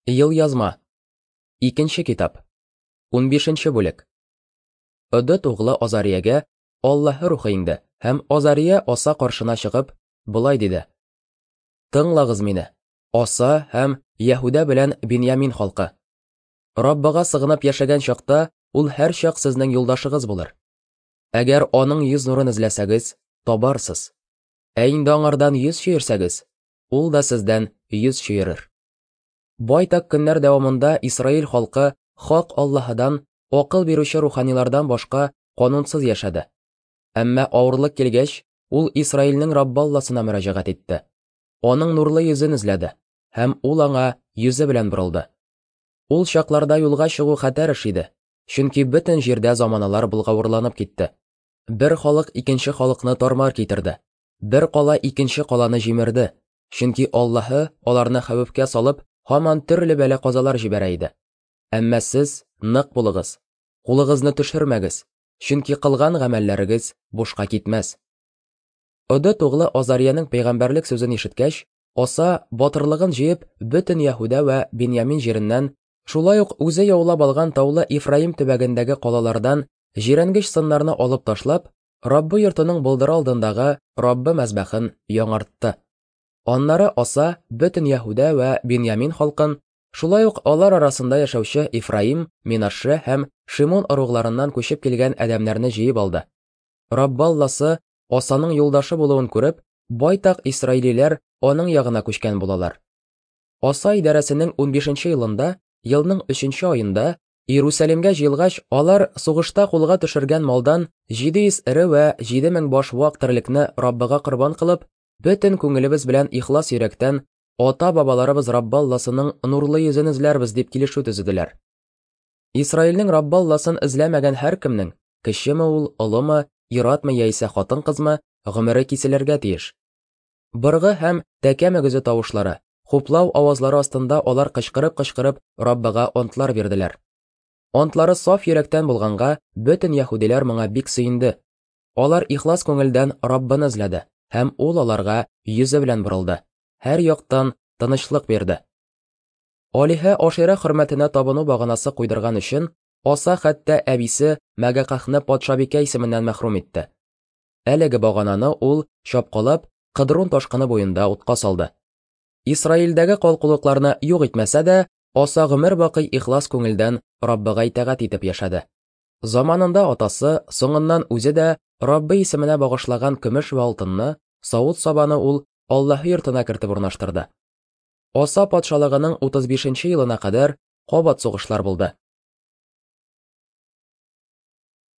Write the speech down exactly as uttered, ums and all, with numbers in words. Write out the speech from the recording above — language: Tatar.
Елъязма. Икенче китап. Унбишенче бүлек. Одед углы Азариягә Аллаһы рухы иңде, һәм Азария Аса каршына чыгып, болай диде: Тыңлагыз мине, Аса һәм Яһүдә белән Биньямин халкы. Раббыга сыгынып яшәгән чакта ул һәрчак сезнең юлдашыгыз булыр. Әгәр аның йөз нурын эзләсәгез, табарсыз. Ә инде аңардан йөз чөерсәгез, ул да сездән йөз чөерер. Байтак көннәр дәвамында Исраил халкы хак Аллаһыдан, акыл бирүче руханилардан башка канунсыз яшәде. Әмма авырлык килгәч, ул Исраилнең Раббы Алласына мөрәҗәгать итте. Аның нурлы йөзен эзләде, һәм ул аңа йөзе белән борылды. Ул чакларда юлга чыгу хәтәр эш иде, чөнки бөтен җирдә заманалар болгавырланып китте. Бер халык икенче халыкны тармар китерде, бер кала икенче каланы җимерде, чөнки Аллаһы аларны хәвефкә салып, һаман төрле бәла-казалар җибәрә иде. Әмма сез нык булыгыз, кулыгызны төшермәгез, чөнки кылган гамәлләрегез бушка китмәс. Одед углы Азариянең пәйгамбәрлек сүзен ишеткәч, Аса батырлыгын җыеп, бөтен Яһүдә вә Биньямин җиреннән, шулай ук үзе яулап алган таулы Ифраим төбәгендәге калалардан җирәнгеч сыннарны алып ташлап, Раббы йортының болдыры алдындагы Раббы мәзбәхен яңартты. Аннары Аса бөтен Яһүдә вә Биньямин халкын, шулай ук алар арасында яшәүче Ифраим, Минаше һәм Шимон ыругларыннан күчеп килгән адәмнәрне җыеп алды. Раббы Алласы Асаның юлдашы булуын күреп, байтак исраилиләр аның ягына күчкән булалар. Аса идарәсенең унбишенче елында, елның өченче аенда, Иерусалимгә җыелгач, алар сугышта кулга төшергән малдан җиде йөз эре вә җиде мең баш вак терлекне Раббыга корбан кылып, бөтен күңелебез белән ихлас йөрәктән ата-бабаларыбыз Раббы Алласының нурлы йөзен эзләрбез дип килешү төзеделәр. Исраилнең Раббы Алласын эзләмәгән һәркемнең, кечеме ул, олымы, ир-атмы яисә хатын-кызмы, гомере киселергә тиеш. Быргы һәм тәкә мөгезе тавышлары, хуплау авазлары астында алар кычкырып-кычкырып Раббыга антлар бирделәр. Антлары саф йөрәктән булганга, бөтен яһүдиләр моңа бик сөенде. Алар ихлас күңелдән Раббыны эзләде, һәм ул аларга йөзе белән борылды, һәр яктан тынычлык бирде. Алиһә Ашира хөрмәтенә табыну баганасы куйдырган өчен, Аса хәтта әбисе Мәгакахны патшабикә исеменнән мәхрүм итте. Әлеге багананы ул чапкалап Кыдрун ташкыны буенда утка салды. Исраилдәге калкулыкларны юк итмәсә дә, Аса гомер бакый ихлас күңелдән Раббыга итагать итеп яшәде. Заманында атасы, соңыннан үзе дә Раббы исеменә багышлаган көмеш вә алтынны, савыт-сабаны ул Аллаһы йортына кертеп урнаштырды. Аса патшалыгының утыз бишенче елына кадәр кабат сугышлар булды.